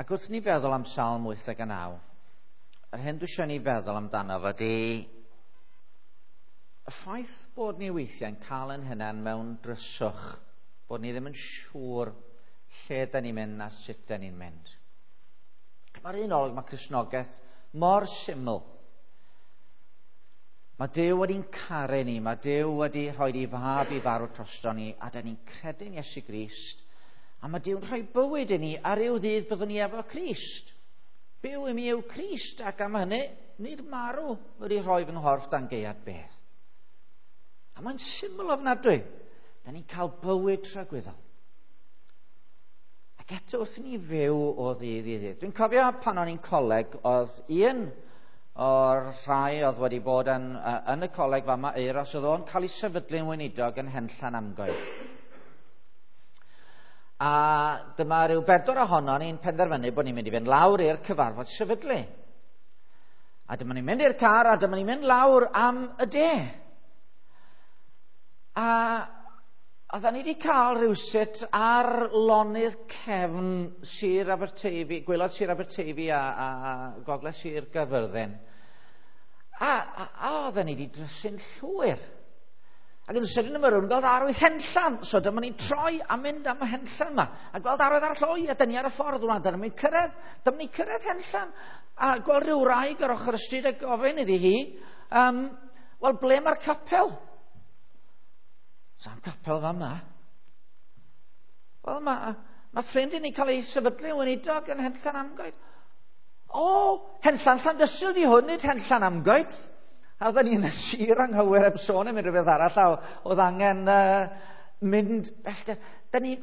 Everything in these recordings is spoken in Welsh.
Ac wrth ni feddwl am Salm 89, yr hyn dwi eisiau ni feddwl amdano fo ydy y ffaith bod ni weithiau'n cael ein hunain mewn dryswch, bod ni ddim yn siŵr lle da ni'n mynd a sut da ni'n mynd. Mae'r un olwg, mae Cristnogaeth mor syml. Mae Duw wedi'n caru ni, mae Duw wedi rhoi ei fab i farw drosto ni, a da ni'n credu'n Iesu Grist, a mae Duw'n rhoi bywyd i ni, a ryw ddydd byddwn ni efo Crist. Byw i mi yw Crist, ac am hynny, nid marw wedi rhoi fy nghorff dan gaead bedd. A mae'n syml ofnadwy. Da ni'n cael bywyd tragwyddol. Ac eto wrth i ni fyw o ddydd i ddydd. Dwi'n cofio pan o'n i'n coleg, oedd un o'r rhai oedd wedi bod yn y coleg fama, Euros, oedd o'n cael ei sefydlu'n weinidog yn Henllan Amgoed. A dyma rhyw bedwar ohono ni'n penderfynu bod ni'n mynd i fynd lawr i'r cyfarfod sefydlu. A dyma ni'n mynd i'r car a dyma ni'n mynd lawr am y de. A oedden ni wedi cael rhywsut ar lonydd cefn Sir Aberteifi, gwaelod Sir Aberteifi a Gogledd Sir Gaerfyrddin. A oedden ni wedi drysu'n llwyr. Ac yn sydyn yma rhywun gweld arwydd Henllan. So dyma ni'n troi a mynd am y Henllan yma. A gweld arwydd arall, o ia, dyn ni ar y ffordd rwan, dyma ni'n cyrraedd, dyma ni'n cyrraedd Henllan. A gweld rhyw wraig ar ochr y stryd a gofyn iddi hi, wel, ble mae'r capel? Sa'm capel fan yma. Wel, mae ffrind i ni cael ei sefydlu yn weinidog yn Henllan Amgoed. O, Henllan Llandysul di hwn, nid Henllan Amgoed. A oedden ni'n y sir anghywir heb sôn am unrhyw beth arall, a oedd angen mynd bellter. Da ni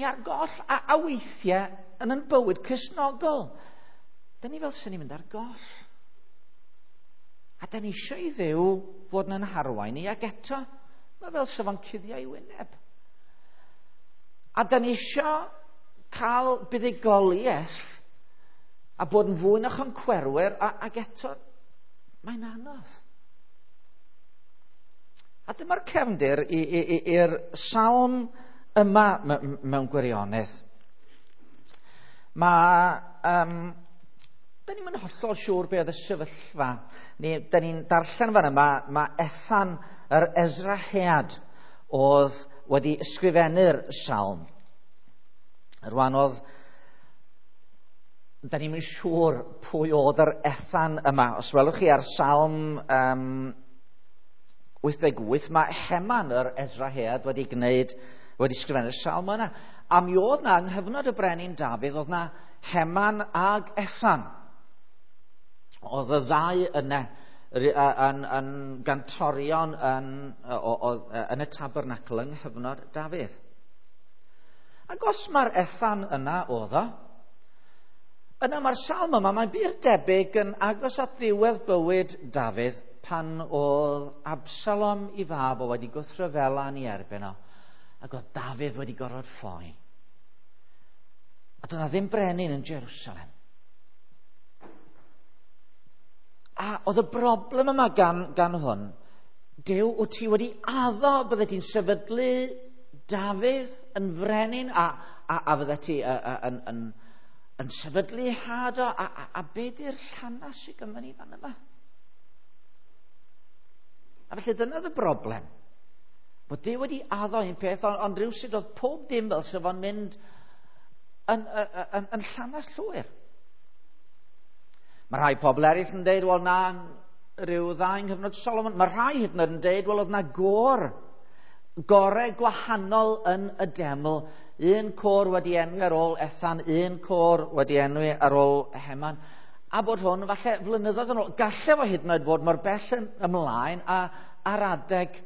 ar goll, a weithiau yn ein bywyd Cristnogol. Da ni fel sy'n ni'n mynd ar goll. A da ni eisiau i Dduw fod yn harwain ni, ac eto, mae fel sef o'n cuddio ei wyneb. A da ni eisiau cael buddugoliaeth a bod yn fwy na choncwerwyr, ac eto, mae'n anodd. A dyma'r cefndir i'r salm yma mewn gwirionedd. Da ni'm yn hollol siŵr be oedd y sefyllfa. Da ni'n darllen fan yma, mae Ethan yr Ezrahead oedd wedi ysgrifennu'r salm. Rwan oedd, da ni'm yn siŵr pwy oedd yr Ethan yma. Os welwch chi ar salm 88, mae Heman yr Ezrahead wedi ysgrifennu'r salm yna. A mi oedd na, yng nghyfnod y brenin Dafydd, oedd na Heman ag Ethan. Oedd y ddau yna yn gantorion yn y tabernacl yng nghyfnod Dafydd. Ac os mae'r Ethan yna oedd o, yna mae'r salm yma, mae'n bur debyg yn agos at ddiwedd bywyd Dafydd pan oedd Absalom i fab o wedi gwrthryfela yn ei erbyn o, ac oedd Dafydd wedi gorfod ffoi. A doedd 'na ddim brenin yn Jerusalem. A oedd y broblem yma gan hwn, Duw, wyt ti wedi addo bydde ti'n sefydlu Dafydd yn frenin a fydde ti yn sefydlu had o, a be di'r llanas sydd ganddo ni fan yma? A felly dyna oedd y broblem. Bod Duw wedi addo un peth, ond rhywsut oedd pob dim fel sef o'n mynd yn llanas llwyr. Mae rhai pobl eraill yn deud, wel na, rhyw ddau yng nghyfnod Solomon. Mae rhai hyd yn oed yn deud, wel oedd na gore gwahanol yn y deml. Un côr wedi enwi ar ôl Ethan, un côr wedi enwi ar ôl Heman. A bod hwn falle flynyddoedd yn ôl. Galle fo hyd yn oed fod mor bell yn ymlaen a ar adeg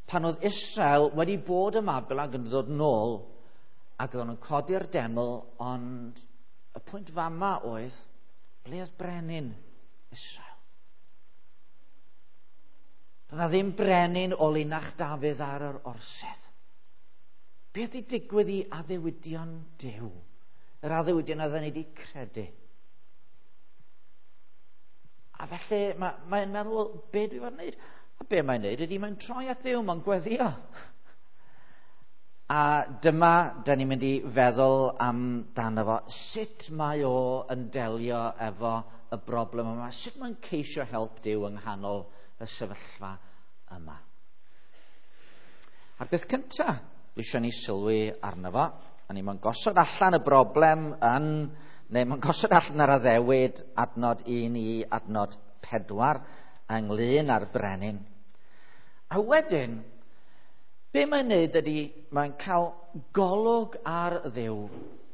pan oedd Israel wedi bod ym Mabel ac yn dod nôl ac oedden nhw'n codi'r deml, ond y pwynt fama oedd, ble oedd brenin Israel? Doedd 'na ddim brenin o linach Dafydd ar yr orsedd. Beth wedi digwydd i addewidion Duw? Yr addewidion oedden ni wedi credu. A felly mae'n meddwl, wel, be dwi fod yn wneud? A be mae'n wneud ydy mae'n troi at Dduw, mae'n gweddio. A dyma, da ni'n mynd i feddwl amdano fo, sut mae o yn delio efo y broblem yma, sut mae'n ceisio help Duw yng nghanol y sefyllfa yma. A'r beth cyntaf dwi eisiau ni sylwi arno fo, a ni mae'n gosod allan y broblem yn, neu mae'n gosod allan yr addewid adnod 1 i adnod 4 ynglyn â'r brenin. A wedyn, be mae'n neud ydy, mae'n cael golwg ar Dduw.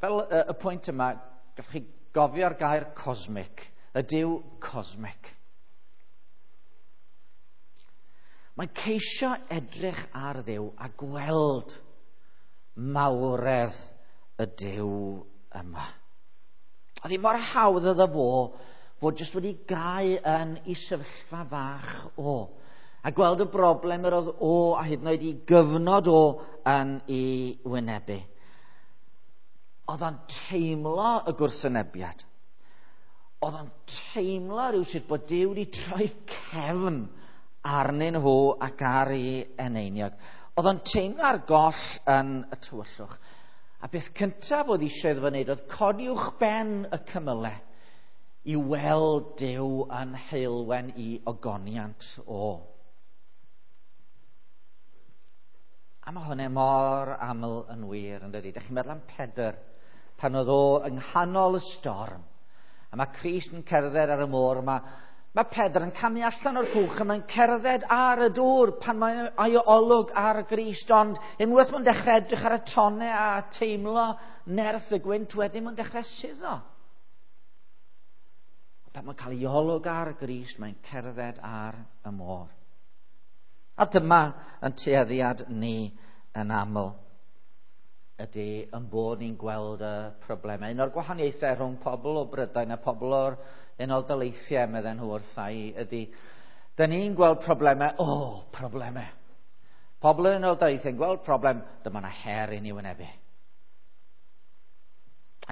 Fel y pwynt yma, gallwch chi gofio'r gair cosmic, y Duw cosmic. Mae'n ceisio edrych ar Dduw a gweld mawredd y Duw yma. Oedd hi mor hawdd iddo fo fod jyst wedi gau yn ei sefyllfa fach o, a gweld y broblem yr oedd o a hyd yn oed i gyfnod o yn ei wynebu. Oedd o'n teimlo y gwrthwynebiad. Oedd o'n teimlo rhywsut bod Duw wedi troi cefn arnyn nhw ac ar ei eneiniog. Oedd o'n teimlo ar goll yn y tywyllwch. A beth cyntaf oedd eisiau iddo fo wneud oedd codi uwchben y cymylau i weld Duw yn heulwen i ogoniant o. A mae hwnna mor aml yn wir, yn dydi? Dych chi'n meddwl am Pedr, pan oedd o yng nghanol y storm, a mae Crist yn cerdded ar y môr, mae Pedr yn camu allan o'r cwch a mae'n cerdded ar y dŵr pan mae ei olwg ar y Grist, ond unwaith mae'n dechrau edrych ar y tonnau a teimlo nerth y gwynt, wedyn mae'n dechrau suddo. Pan mae'n cael ei olwg ar y Grist, mae'n cerdded ar y môr. A dyma yn tueddiad ni yn aml, ydy yn bod ni'n gweld y problemau. Un o'r gwahaniaethau rhwng pobl o Brydain a pobl o'r Unol Daleithiau, medden nhw wrtha i, ydy, da ni'n gweld problemau, problemau. Pobl yn Unol Daleithiau yn gweld problem, dyma na her i ni wynebu.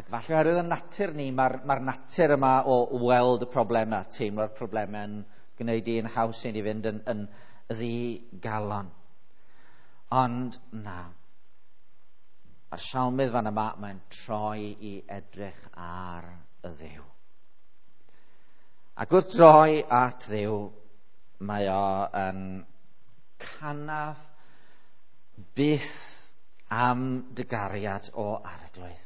Ac falle oherwydd y natur ni, mae'r natur yma o weld y problemau, teimlo'r problemau yn gwneud i'n haws i ni fynd yn ddigalon. Ond na, mae'r salmydd fan yma, mae'n troi i edrych ar y Dduw. Ac wrth droi at Dduw, mae o yn canaf byth am dy gariad o Arglwydd.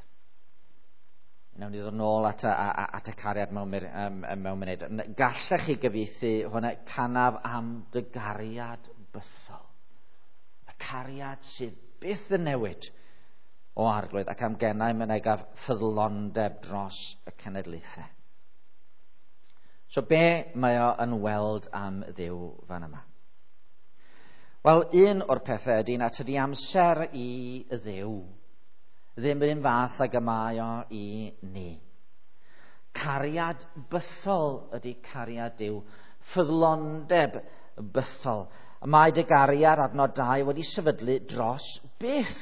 Nawn ni ddod nôl at y cariad mewn munud. Gallech chi gyfieithu hwnna, canaf am dy gariad bythol. Y cariad sydd byth yn newid o Arglwydd ac am gennau mynegaf ffyddlondeb dros y cenedlaethau. So be mae o yn weld am Dduw fan yma? Wel, un o'r pethau ydy na tydi amser i Dduw ddim yr un fath ag y mae o i ni. Cariad bythol ydy cariad Duw, ffyddlondeb bythol. Mae dy gariad adnod 2 wedi sefydlu dros byth,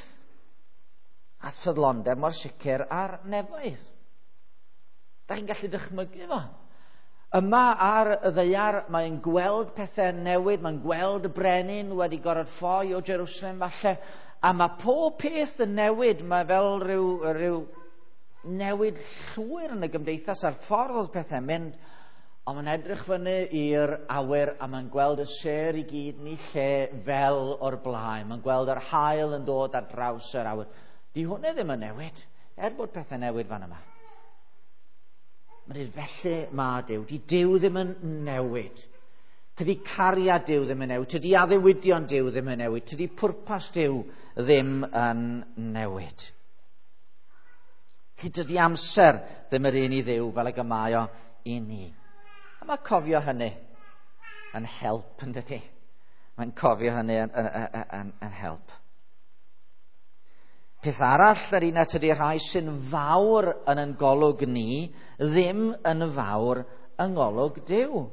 a ffyddlondeb mor sicr ar nefoedd. Da chi'n gallu dychmygu fo? Yma ar y ddaear mae'n gweld pethau newid, mae'n gweld y brenin wedi gorfod ffoi o Jerusalem falle, a mae pob peth yn newid, mae fel rhyw newid llwyr yn y gymdeithas a'r ffordd oedd pethau'n mynd, ond mae'n edrych fyny i'r awyr a mae'n gweld y sêr i gyd yn ei lle fel o'r blaen. Mae'n gweld yr haul yn dod ar draws yr awyr. Di hwnna ddim yn newid, er bod pethau newid fan yma. Mae'n dweud, felly mae Duw. Di Duw ddim yn newid. Tydi cariad Duw ddim yn newid. Tydi addewidion Duw ddim yn newid. Tydi pwrpas Duw ddim yn newid. Tydi amser ddim yr un i Dduw fel ag y mae o i ni. A mae cofio hynny yn help, yn dydi? Mae'n cofio hynny yn help. Peth arall yr un at ydy rhai sy'n fawr yn yn golwg ni, ddim yn fawr yng ngolwg Duw.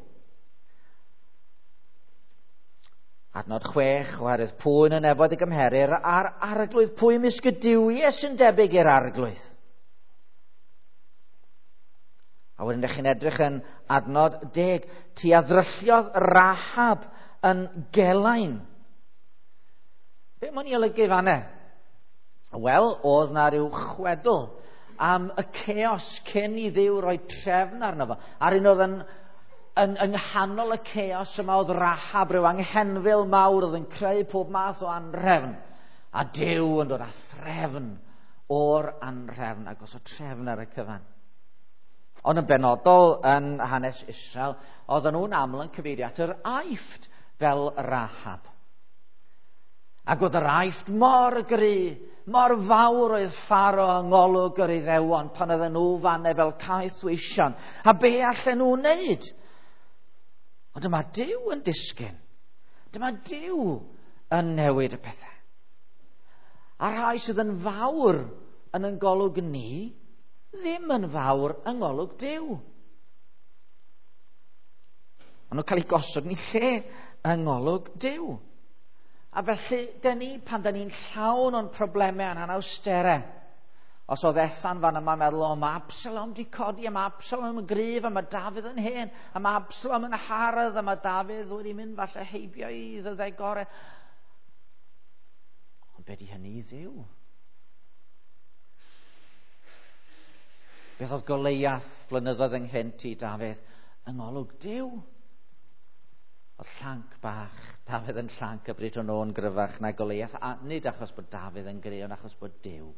Adnod 6, oherwydd pwy yn y nefoedd y gymherir a'r Arglwydd, pwy ymysg y duwiau sy'n debyg i'r Arglwydd? A wedyn ydych chi'n edrych yn adnod 10, ti a ddrylliodd Rahab yn gelain. Be mae'n ei olygu fan'na? Wel, oedd na ryw chwedl am y chaos cyn i Dduw roi trefn arno fo. A'r un oedd yn yng nghanol y chaos yma oedd Rahab, rhyw anghenfil mawr oedd yn creu pob math o anrefn. A Duw yn dod â threfn o'r anrefn ac os o trefn ar y cyfan. Ond yn benodol yn hanes Israel, oedden nhw'n aml yn cyfeirio at yr Aifft fel Rahab. Ac oedd yr Aifft mor gry, mor fawr oedd Pharo yng ngolwg yr Iddewon pan oedden nhw fanne fel caethweision. A be allan nhw wneud? Ond dyma Duw yn disgyn. Dyma Duw yn newid y pethau. A rhai sydd yn fawr yn golwg ni, ddim yn fawr yng ngolwg Duw. Maen nhw'n cael eu gosod yn lle yng ngolwg Duw. A felly, dyn ni, pan dyn ni'n llawn o'n problemau a'n anawsterau, os oedd Ethan fan yma meddwl, o, mae Absalom di codi, a mae Absalom yn gryf, a mae Dafydd yn hen, a mae Absalom yn hardd, a mae Dafydd wedi mynd falle heibio i ddyddiau gorau. Ond be di hynny i Dduw? Beth oedd Goleiath flynyddoedd ynghynt i Dafydd? Yng ngolwg Duw. Oedd llanc bach, Dafydd yn llanc y bryd hwnnw yn gryfach na Goleiath, a nid achos bod Dafydd yn gry, ond achos bod Duw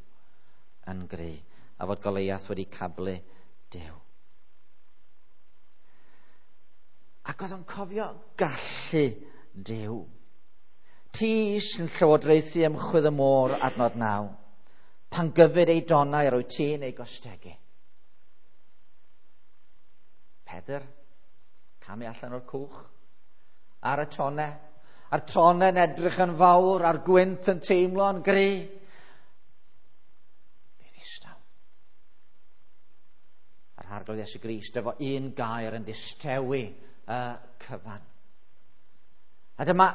yn gry, a fod Goleiath wedi cablu Duw. Ac oedd o'n cofio gallu Duw. Ti sy'n llywodraethu ymchwydd y môr, adnod 9, pan gyfyd ei donau rwy ti'n ei gostegu. Pedr, camu allan o'r cwch, ar y tone, a'r tone'n edrych yn fawr, a'r gwynt yn teimlo'n gry. Be ddistaw. A'r Arglwydd Iesu Grist efo un gair yn distewi y cyfan. A dyma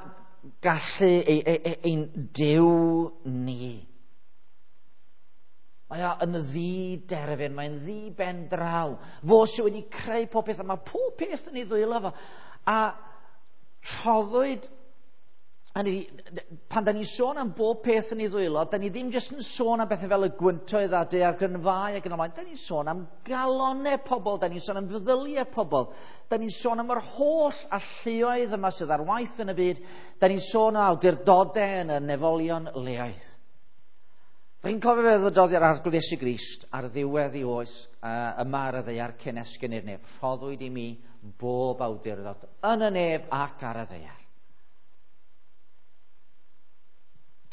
gallu ein Duw ni. Mae o yn ddi-derfyn, mae'n ddi-ben draw. Fo sydd wedi creu pob peth, a mae pob peth yn ei ddwylo fo. A rhoddwyd, pan da ni'n sôn am bob peth yn ei ddwylo, da ni ddim jyst yn sôn am bethau fel y gwyntoedd a daeargrynfâu ac yn y blaen. Da ni'n sôn am galonau pobl, da ni'n sôn am feddyliau pobl, da ni'n sôn am yr holl alluoedd yma sydd ar waith yn y byd, da ni'n sôn am awdurdodau yn y nefolion leoedd. Fi'n cofio fe ddydodd i'r Arglwydd Iesu Grist ar ddiwedd ei oes yma ar y ddaear cyn esgyn i'r nef. Rhoddwyd i mi bob awdurdod yn y nef ac ar y ddaear.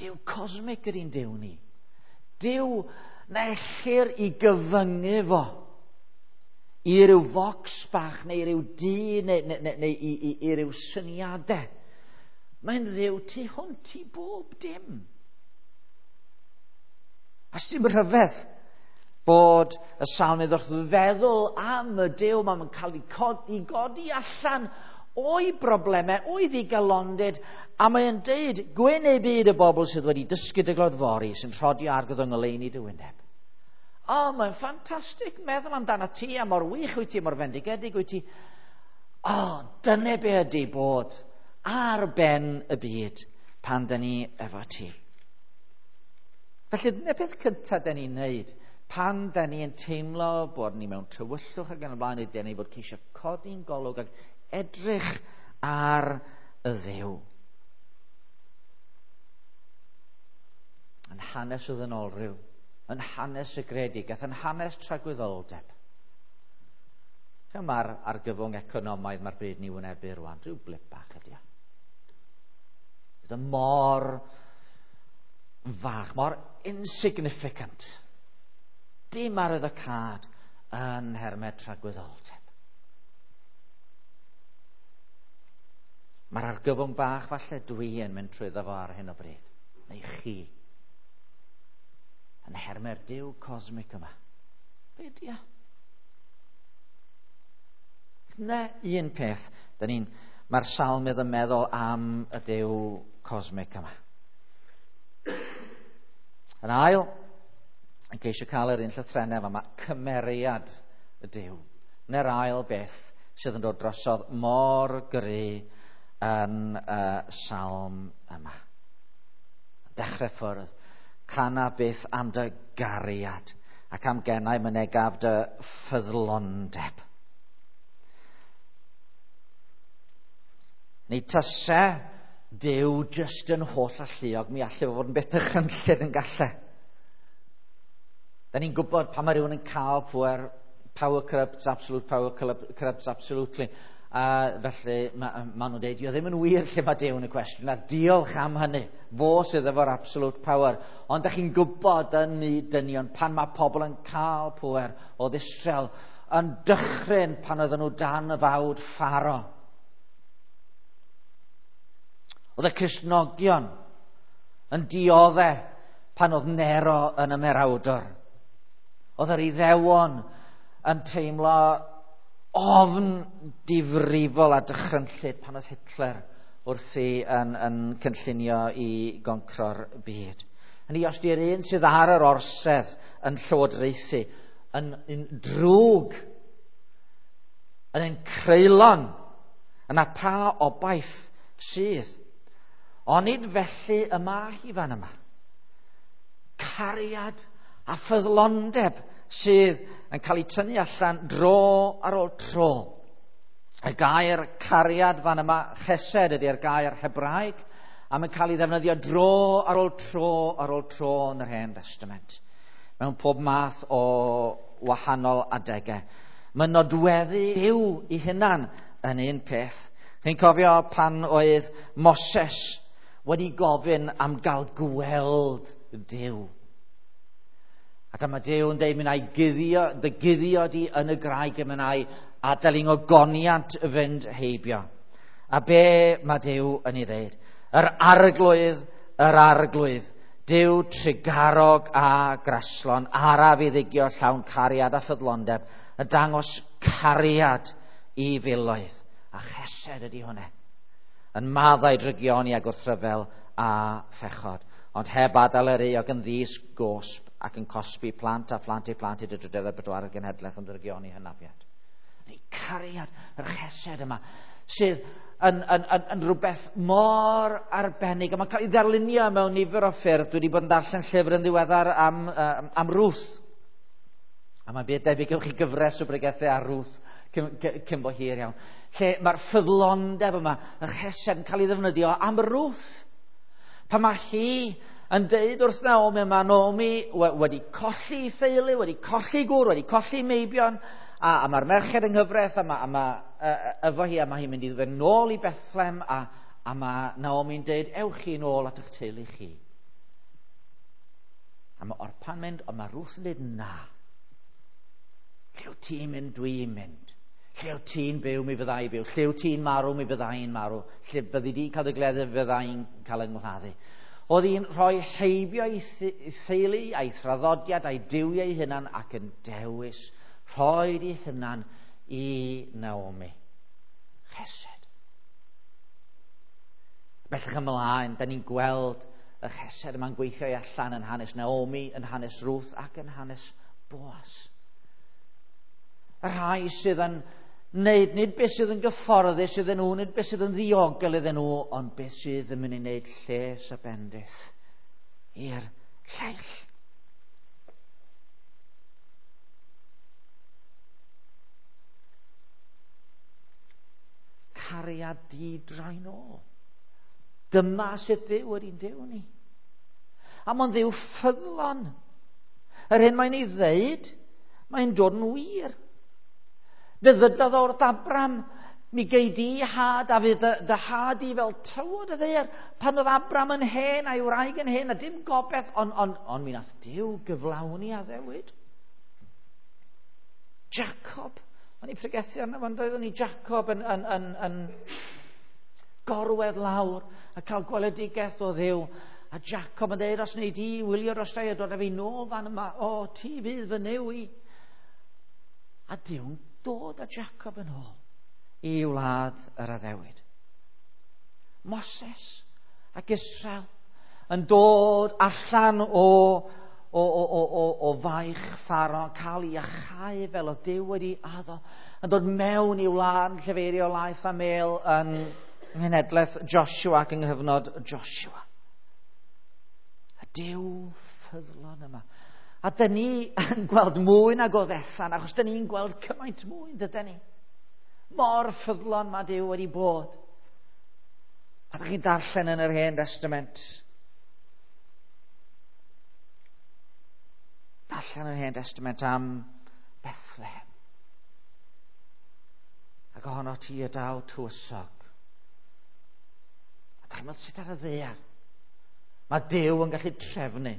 Duw cosmic ydy'n Duw ni. Duw na ellir i gyfyngu fo i ryw focs bach neu ryw dŷ neu i ryw syniadau. Mae'n Dduw tu hwnt i bob dim. A sy'n rhyfedd bod y salmydd wrth feddwl am y Duw, mae'n cael ei godi allan o'i broblemau, o'i ddigalondid, a mae'n deud, gwyn ei byd y bobl sydd wedi dysgu dy glodfori, sy'n rhodio arglwydd yng ngoleuni dy wyneb. O, mae'n ffantastig meddwl amdano ti, a mor wych wyt ti, mor fendigedig wyt ti. O, dyna be ydy bod ar ben y byd pan dyn ni efo ti. Felly, dyna peth cyntaf dyn ni'n neud pan dyn ni'n teimlo bod ni mewn tywyllwch ac yn y blaen, ydy ni fod ceisio codi'n golwg ac edrych ar y Dduw. Yn hanes y ddynolryw, yn hanes y greadigaeth, yn hanes tragwyddoldeb. Mae'r argyfwng economaidd mae'r byd ni wynebu rwan, rhyw blip bach ydy o. Bydd y mor fach, mor insignificant. Dim arwyddocâd yn nhermau tragwyddoldeb. Mae'r argyfwng bach falle dwi yn mynd trwyddo fo ar hyn o bryd, neu chi, yn nhermau'r Duw cosmic yma. Be di o? Na un peth, mae'r salmydd yn meddwl am y Duw cosmic yma. Yn ail, yn ceisio cael yr un llythrennau yma, cymeriad y Duw. Na'r ail beth sydd yn dod drosodd mor gry yn y salm yma. Dechrau ffwrdd, Cana byth am dy gariad ac am gennau mynegaf dy ffyddlondeb. Neu tase Duw jyst yn holl alluog, mi allai fod yn beth dychrynllyd yn galle. Da ni'n gwybod pan mae rhywun yn cael pwer, power corrupts, absolute power corrupts absolutely. A felly ma nhw'n dweud, dio ddim yn wir lle mae Duw yn y cwestiwn, a diolch am hynny. Fo sydd efo'r absolute power. Ond da chi'n gwybod yn myd dynion, pan mae pobl yn cael pwer o Israel, yn dychryn pan oedden nhw dan y fawd Pharo. Oedd y Cristnogion yn diodde pan oedd Nero yn ymerawdwr. Oedd yr Iddewon yn teimlo ofn difrifol a dychrynllyd pan oedd Hitler wrthi yn cynllunio i goncro'r byd. Hynny, os di'r un sydd ar yr orsedd yn llywodraethu, yn drwg, yn ein creulon, yna pa obaith sydd? Onid felly y mae hi fan yma. Cariad a ffyddlondeb sydd yn cael ei tynnu allan dro ar ôl tro. Y gair cariad fan yma, chesed ydy'r gair Hebraeg, a mae'n cael ei ddefnyddio dro ar ôl tro ar ôl tro yn yr Hen Testament, mewn pob math o wahanol adegau. Mae nodweddu Duw i hunan yn un peth. Chi'n cofio pan oedd Moses wedi gofyn am gael gweld Duw. A dyma Duw yn dweud, mi wna i guddio, dy guddio di yn y graig, a mi wna i adael i ngogoniant fynd heibio. A be mae Duw yn ei ddeud? Yr arglwydd, yr arglwydd, Duw trugarog a graslon, araf i ddigio llawn cariad a ffyddlondeb, y dangos cariad i filoedd. A chesed ydy hwnna. Yn maddau drygioni a gwrthryfel a phechod, ond heb adael yr euog yn ddys gosb ac yn cosbi plant a phlant eu plant i dy drydedd a bedwaredd genhedlaeth am ddrygioni hynafiad. Neu cariad, yr chesed yma, sydd yn rhywbeth mor arbennig. A mae'n cael ei ddarlunio mewn nifer o ffyrdd. Dwi wedi bod yn darllen llyfr yn ddiweddar am Ruth. A mae'n byd debyg gewch chi gyfres o bregethau ar Ruth cyn bo hir iawn. Lle mae'r ffyddlondeb yma, y chesed yn cael ei ddefnyddio am Ruth. Pan mae hi yn deud wrth Naomi, mae Naomi wedi colli theulu, wedi colli gŵr, wedi colli meibion, a mae'r merched yng nghyfraith, a mae efo hi, a mae hi'n mynd i fynd nôl i Bethlehem, a mae Naomi'n deud, ewch chi nôl at eich teulu chi. A mae Orpa'n mynd, ond mae Ruth yn deud, na. Lle wyt ti'n mynd, dwi'n mynd. Lle wyt ti'n byw, mi fydda i byw. Lle wyt ti'n marw, mi fydda i'n marw. Lle byddi di'n cael dy gleddu, fydda i'n cael yng nghladdu. Oedd hi'n rhoi heibio ei theulu, a'i thraddodiad, a'i duwiau ei hunan, ac yn dewis rhoi ei hunan i Naomi. Chesed. Bellach ymlaen, da ni'n gweld y chesed yma'n gweithio i allan yn hanes Naomi, yn hanes Ruth ac yn hanes Boaz. Y rhai sydd yn wneud nid beth sydd yn gyfforddus iddyn nhw, nid beth sydd yn ddiogel iddyn nhw, ond beth sydd yn mynd i wneud lles a bendith i'r lleill. Cariad di-draen ôl. Dyma sut Duw ydy'n Duw ni. A mae'n Dduw ffyddlon. Yr hyn mae'n ei ddeud, mae'n dod yn wir. Fe ddydodd wrth Abram, mi gei di had a fydd dy had i fel tywod y ddaear. Pan oedd Abram yn hen a'i wraig yn hen a dim gobaith, ond mi nath Duw gyflawni addewid. Jacob, o'n i'n pregethu arno fo, doeddwn i Jacob yn gorwedd lawr a cael gweledigaeth o Dduw. A Jacob yn dweud, os wnei di wylio dros a dod â fi nôl fan yma, o, ti fydd fy Nuw i. A Duw'n dod â Jacob yn ôl i wlad yr addewid. Moses ac Israel yn dod allan o faich Pharaoh, yn cael ei achau fel oedd Duw wedi addo, yn dod mewn i wlad llefeirio laeth a mel yn nghenhedlaeth Joshua ac yng nghyfnod Joshua. A Duw ffyddlon yma. A dyn ni yn gweld mwy nag oedd Ethan, achos dyn ni'n gweld cymaint mwy, dydyn ni. Mor ffyddlon mae Duw wedi bod. A ydych chi'n darllen yn yr Hen Testament. Darllen yn yr Hen Testament am Bethlehem. Ac ohono ti y daw tywysog. A dych chi'n meddwl sut ar y ddaear? Mae Duw yn gallu trefnu.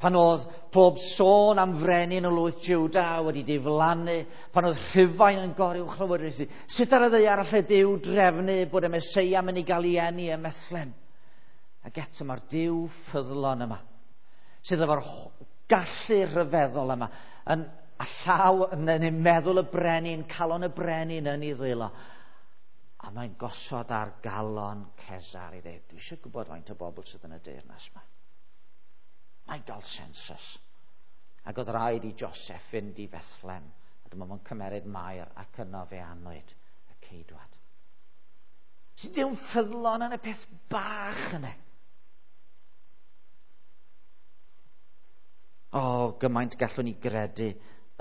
Pan oedd pob sôn am frenin o lwyth Juda wedi diflannu, pan oedd Rhufain yn goruwchlywodraethu, sut ar y ddaear allai Duw drefnu bod y Meseia mynd i gael ei eni ym Methlehem? Ac eto mae'r Duw ffyddlon yma, sydd efo'r gallu rhyfeddol yma, yn a llaw yn ei meddwl y brenin, calon y brenin yn ei ddwylo. A mae'n gosod ar galon Cesar i ddweud, dwi eisiau gwybod faint o bobl sydd yn y deyrnas yma. Mae'n gael census. Ac oedd rhaid i Joseph fynd i Bethlehem. A dyma fo'n cymeryd Mair ac yno fe anwyd y ceidwad. Sy'n Dyw'n ffyddlon yn y peth bach yna. O, gymaint gallwn ni gredu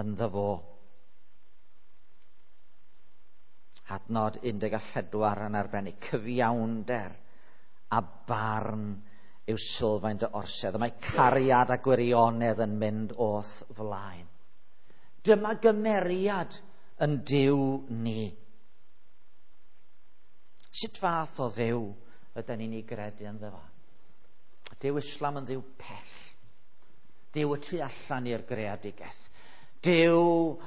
ynddo fo. Adnod 14 yn arbennig, cyfiawnder a barn yw sylfaen dy orsedd. A mae cariad a gwirionedd yn mynd o'th flaen. Dyma gymeriad yn Duw ni. Sut fath o Dduw ydyn ni'n ei gredu ynddo fo? Duw Islam yn Dduw pell. Duw y tu allan i'r greadigaeth. Duw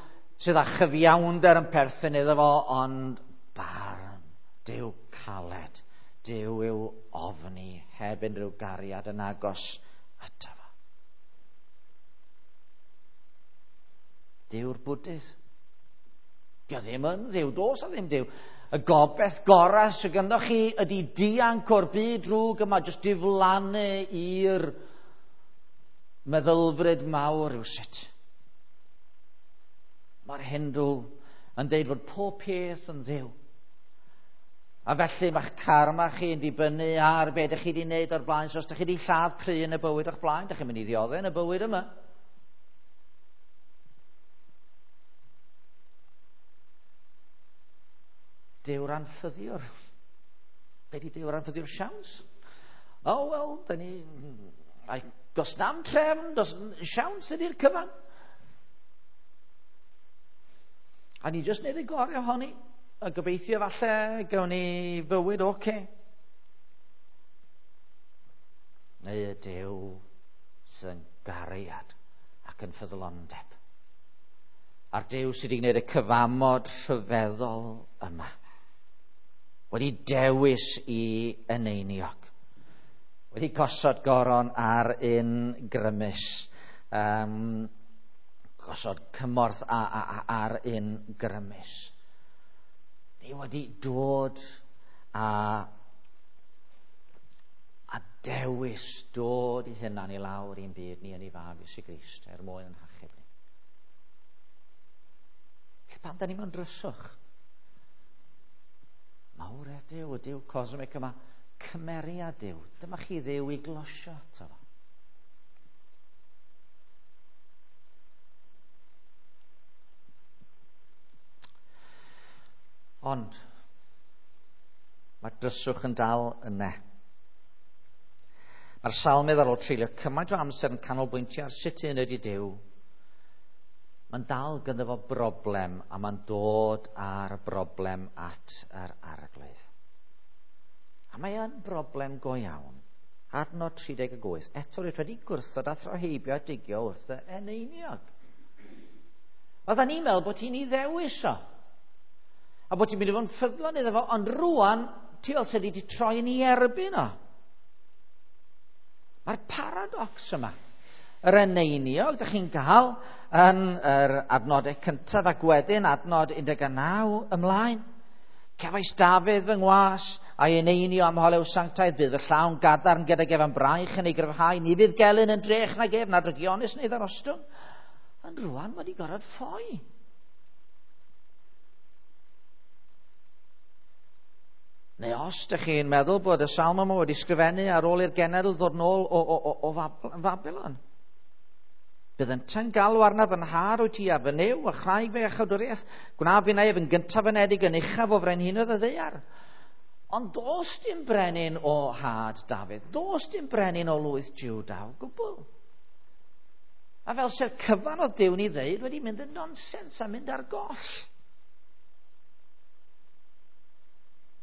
sydd â chyfiawnder yn perthyn iddo fo, ond barn. Duw caled. Duw yw ofni heb unrhyw gariad yn agos ato fo. Duw'r Bwdydd. Dio ddim yn dduw, does a ddim Duw. Y gobaith gorau sydd ganddo chi ydy dianc o'r byd drwg yma, jyst diflannu i'r meddylfryd mawr rywsut. Mae'r Hindw yn deud fod pob peth yn dduw. A felly mae'ch karma chi yn dibynnu ar be ydych chi wedi wneud o'r blaen. So os ydych chi wedi lladd pry yn y bywyd o'ch blaen, ydych chi'n mynd i ddioddef yn y bywyd yma. Dyw'r anffyddiwr. Be di Dyw'r anffyddiwr siawns? O, oh, wel, da ni... Does na'm trefn, does siawns ydy'r cyfan. A ni jyst wneud y gorau ohoni. A gobeithio falle gawn ni fywyd oce. Okay. Neu y Duw sydd yn gariad ac yn ffyddlondeb. A'r Duw sydd wedi gwneud y cyfamod rhyfeddol yma. Wedi dewis i eneiniog. Wedi gosod goron ar un grymus. Gosod cymorth ar un grymus. Ni wedi dod a dewis dod i hunan i lawr i'n byd ni yn ei fab Iesu Grist er mwyn yn hachub ni. Felly pam da ni mewn dryswch? Mawredd Duw, y Duw cosmic yma, cymeriad Duw. Dyma chi Dduw i glosio ato fo. Ond mae'r dryswch yn dal yna. Mae'r salmydd ar ôl treulio cymaint o amser yn canolbwyntio ar sut un ydy Duw. Mae'n dal ganddo fo broblem a mae'n dod â'r broblem at yr Arglwydd. A mae yn broblem go iawn. Adnod 38. Eto rwyt wedi gwrthod a throheibio a digio wrth y eneiniog. Oedden ni'n meddwl bod ti'n ei ddewis o. A bod ti'n mynd i fod yn ffyddlon iddo fo, ond rwan ti fel sydd wedi troi yn ei erbyn o. Mae'r paradox yma. Yr eneiniog, ydych chi'n gael yn yr adnodau cyntaf ac wedyn adnod 19 ymlaen. Cefais Dafydd fy ngwas a'i eneinio am holew sanctaidd, bydd fy llawn gadarn gydag ef am braich yn ei gryfhau, ni fydd gelyn yn drech nag ef, na drygionus neu ddarostwng. Ond rwan mae wedi gorfod ffoi. Neu os ydych chi'n meddwl bod y salm yma wedi sgrifennu ar ôl i'r genedl ddod nôl o Babylon. Bydd yntau'n galw arnaf yn nhad wyt ti a fy Nuw a chraig fy iachawdwriaeth. Gwna finnau ef yn gyntaf anedig yn uchaf o frenhinoedd y ddaear. Ond does dim brenin o had Dafydd. Does dim brenin o lwyth Juda o gwbl. A fel se'r cyfan oedd Duw'n ei ddeud wedi mynd yn nonsens a mynd ar goll.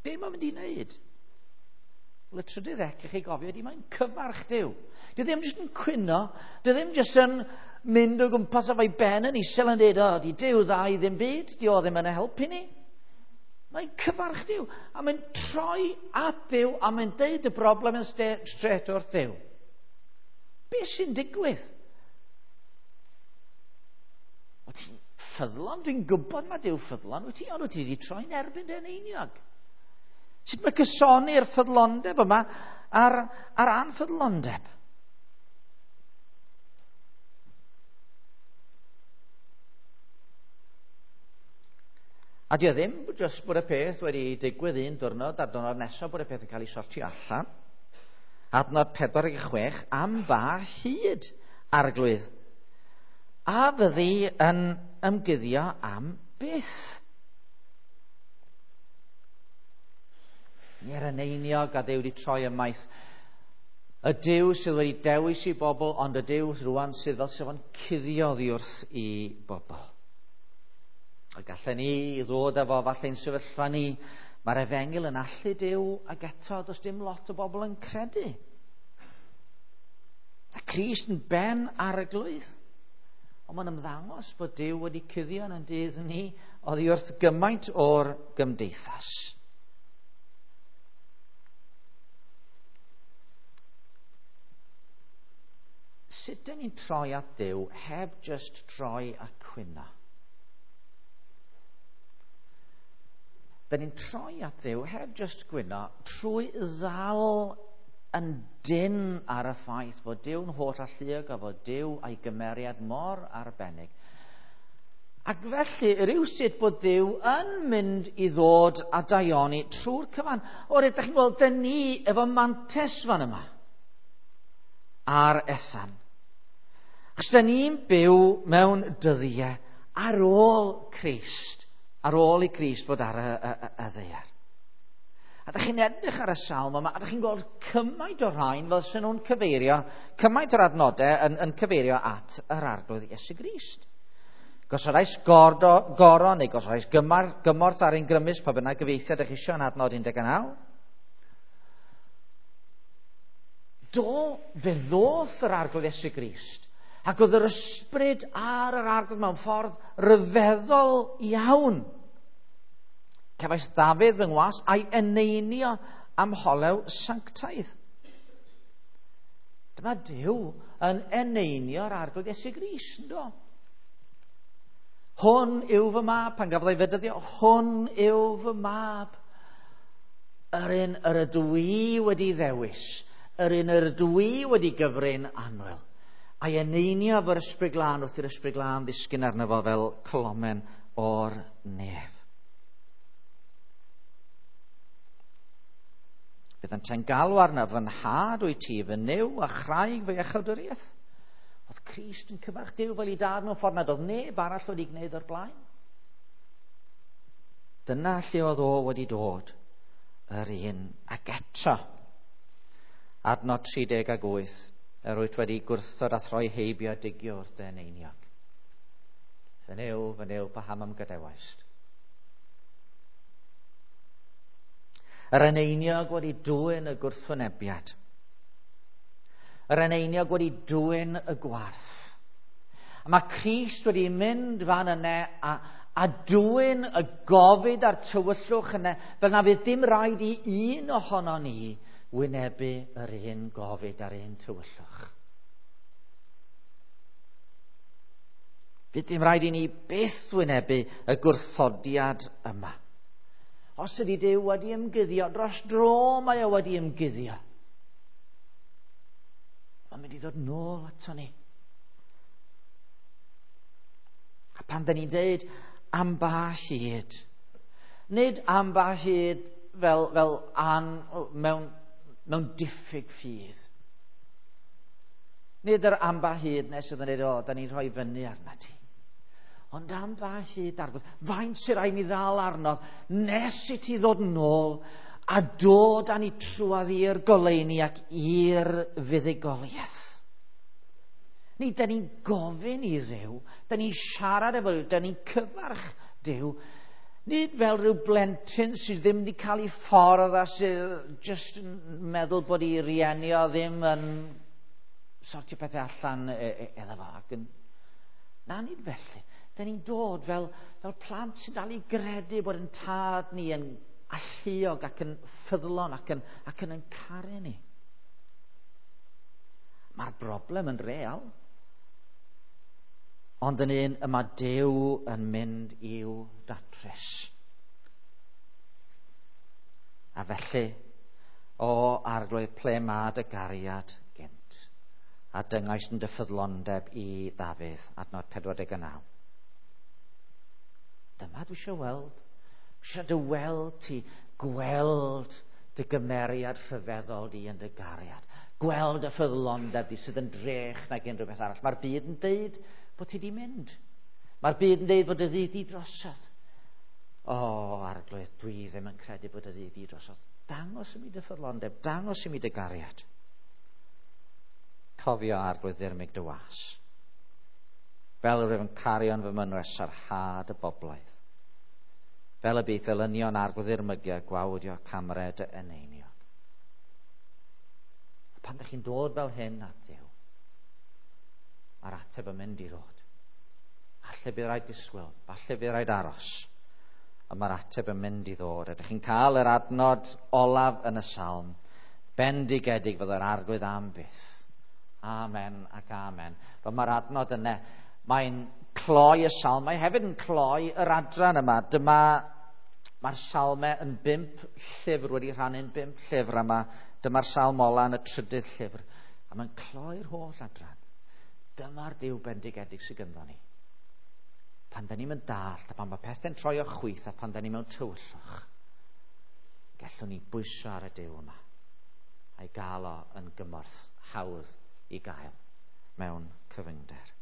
Be mae'n mynd i wneud? Wel, y trydydd ec, i chi gofio, ydy mae'n cyfarch Duw. Dwi ddim jyst yn cwyno, dwi ddim jyst yn mynd o gwmpas efo'i ben yn isel yn dweud, o, di Duw dda i ddim byd, di o ddim yn helpu ni. Mae'n cyfarch Duw, a mae'n troi at Dduw, a mae'n deud y broblem yn straight wrth Dduw. Be sy'n digwydd? O ti'n ffyddlon? Dwi'n gwybod mae Duw ffyddlon, wyt ti, ond wyt ti wedi troi'n erbyn dy eneiniog. Sut mae cysoni'r ffyddlondeb yma a'r anffyddlondeb? A di o ddim jyst bod y peth wedi digwydd un diwrnod a'r diwrnod nesaf bod y peth yn cael ei sortio allan. Adnod 46, am ba hyd, Arglwydd, a fyddi yn ymguddio am byth? Nie'r eneiniog a Dduw wedi troi ymaith. Y Duw sydd wedi dewis i bobl, ond y Duw rwan sydd fel sef o'n cuddio oddi wrth i bobl. A gallen ni ddod efo falle'n sefyllfa ni, mae'r efengyl yn allu Duw, ac eto does dim lot o bobl yn credu. A Crist yn ben arglwydd. Ond mae'n ymddangos bod Duw wedi cuddio yn dydd ni oddi wrth gymaint o'r gymdeithas. Sut dyn ni'n troi at Dduw heb just troi a cwyno? Dyn ni'n troi at Dduw heb just gwyno trwy ddal yn dynn ar y ffaith fod Duw'n holl alluog a fod Duw a'i gymeriad mor arbennig. Ac felly, rhywsut bod Duw yn mynd i ddod a daioni trwy'r cyfan. O, rydych chi'n gweld, dyn ni efo mantes fan yma ar Ethan. Achos dyn ni'n byw mewn dyddiau ar ôl Crist, ar ôl i Crist fod ar y ddaear. A dych chi'n edrych ar y salm yma, a dych chi'n gweld cymaint o'r rhain fel sy'n nhw'n cyfeirio, cymaint o'r adnodau yn cyfeirio at yr Arglwydd Iesu Grist. Gosodais goron neu gosodais gymorth ar ein grymus, pa bynnag gyfieithiad ydych chi eisiau yn adnod 19. Do, fe ddoth yr Arglwydd Iesu Grist, ac oedd yr ysbryd ar yr Arglwydd mewn ffordd ryfeddol iawn. Cefais Ddafydd fy ngwas a'i eneinio am holew sanctaidd. Dyma Duw yn eneinio'r Arglwydd Iesu Grist, ynddo? Hwn yw fy mab, pan gafodd ei fedyddio, hwn yw fy mab. Yr un yr ydw i wedi ddewis, yr un yr ydw i wedi gyfrin annwyl. A'i eneinio efo'r Ysbryd Glân wrth i'r Ysbryd Glân ddisgyn arno fo fel colomen o'r nef. Bydd yntau'n galw arno, fy nhad wyt ti, fy Nuw a chraig fy iachawdwriaeth. Oedd Crist yn cyfarch Duw fel ei dad mewn ffordd nad oedd neb arall wedi gwneud o'r blaen. Dyna lle oedd o wedi dod, yr un ac eto. Adnod 38, yr wyt wedi gwrthod a throi heibio a digio wrth dy eneiniog. Fy Nuw, paham am gadewaist? Yr eneiniog wedi dwyn y gwrthwynebiad. Yr eneiniog wedi dwyn y gwarth. A mae Crist wedi mynd fan yna a dwyn y gofid a'r tywyllwch yna, fel na fydd dim rhaid i un ohono ni wynebu yr un gofid a'r un tywyllwch. Fydd dim rhaid i ni byth wynebu y gwrthodiad yma. Os ydy Duw wedi ymguddio, dros dro mae o wedi ymguddio. Mae'n mynd i ddod nôl ato ni. A pan dyn ni'n deud am ba hyd, nid am ba hyd fel an, mewn diffyg ffydd. Nid yr am ba hyd nes oedd yn dweud, o, da ni'n rhoi fyny arna ti. Ond am ba hyd, Arglwydd, faint sy'n rhaid mi ddal arno nes i ti ddod yn ôl a dod â ni trwadd i'r goleuni ac i'r fuddugoliaeth. Ni, da ni'n gofyn i Dduw, da ni'n siarad efo Duw, da ni'n cyfarch Duw, nid fel rhyw blentyn sydd ddim wedi cael ei ffordd a sydd just yn meddwl bod ei rieni o ddim yn sortio pethau allan iddo fo. Ac yn... Na, nid felly. Da ni'n dod fel plant sy'n dal i gredu bod yn tad ni yn alluog ac yn ffyddlon ac yn caru ni. Mae'r broblem yn real. Ond yn un y mae Duw yn mynd i'w datrys. A felly, o Arglwydd, ple mae dy gariad gynt? A dyngais yn dy ffyddlondeb i Ddafydd, adnod 49. Dyma dwi eisiau weld. Dwi eisiau dy weld ti, gweld dy gymeriad rhyfeddol di yn dy gariad. Gweld y ffyddlondeb di sydd yn drech nag unrhyw beth arall. Mae'r byd yn deud bod ti di mynd. Mae'r byd yn deud bod y ddydd di drosodd. O, Arglwydd, dwi ddim yn credu bod y ddydd di drosodd. Dangos i mi dy ffyddlondeb, dangos i mi dy gariad. Cofio, Arglwydd, ddirmyg dy was. Fel yr wyf yn cario yn fy mynwes sarhad y boblaidd. Fel y bydd elynion Arglwydd ddirmygu a gwawdio camred y eneiniog. A pan ydych chi'n dod fel hyn at Dduw, mae'r ateb yn mynd i ddod. Falle bydd rhaid disgwyl, falle bydd rhaid aros. Ond mae'r ateb yn mynd i ddod. Ydych chi'n cael yr adnod olaf yn y salm? Bendigedig fydd yr Arglwydd am byth. Amen ac amen. Fel mae'r adnod yna, mae'n cloi y salm, mae hefyd yn cloi yr adran yma. Dyma, mae'r salmau yn 5 llyfr, wedi rhannu'n 5 llyfr yma. Dyma'r salm ola yn y trydydd llyfr. A mae'n cloi'r holl adran. Dyma'r Duw bendigedig sydd gynddon ni. Pan da ni'n mynd dallt, a pan mae pethau'n troi o chwith, a pan da ni mewn tywyllwch, gallwn ni bwyso ar y Duw yma a'i gael o yn gymorth hawdd i gael mewn cyfyngder.